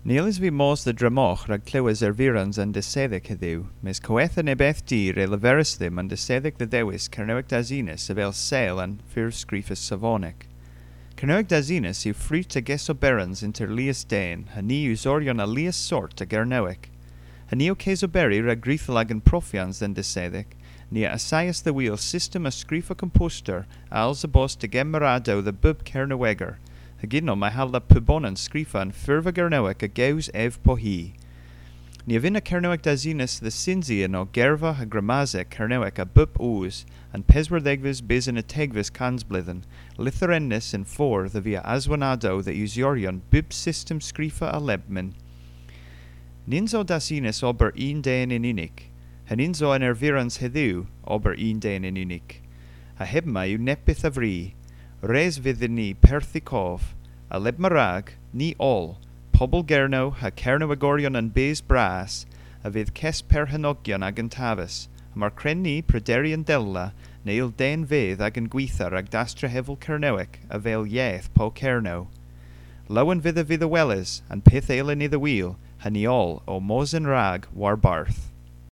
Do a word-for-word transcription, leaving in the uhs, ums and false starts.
Ny yllis vy mos dhe Dremogh rag klewes ervirans an desedhek hedhyw, mes kowetha nebes di re leveris dhymm an desedhek dhe dhewis Kernewek Dasinys avel sel an furv skrifys savonek. Kernewek Dasinys yw frut a gesoberans ynter lies den, ha ni yw usoryon a lies sort a Gernewek. Ha ni ow kesoberi rag gwruthyl agan profyans dhe'n desedhek, ni a assayas dhe wul system a skrifa komposter a alsa bos degemmeryadow dhe bub Kerneweger, hag ynno may halla pubonan skrifa an furva Gernewek a gews ev po hi. Ni a vynna Kernewek Dasinys dhe synsi ynno gerva ha gramasek Kernewek a bub oos, an peswardhegves bys yn y degves kansbledhen, lytherennys yn fordh a via aswonnadow dhe usoryon bub system skrifa a lebmyn. Nyns o Dasinys ober unn den yn unnik, ha nyns o an ervirans hedhyw ober unn den yn unnik. Ha hemma yw neppyth a vri, res vydh dhyn ni perthi kov, a lebma rag, ni oll, pobel Gernow ha Kernewegoryon an bys bras, a vydh kesperghennogyon agan taves, ha mar kwren ni prederi yndella, ny yll den vyth agan gwitha rag dastrehevel Kernewek avel yeth pow Kernow. Lowen vydh a vydh a weles an pyth a yllyn ni dhe wul, ha ni oll ow mos yn-rag warbarth.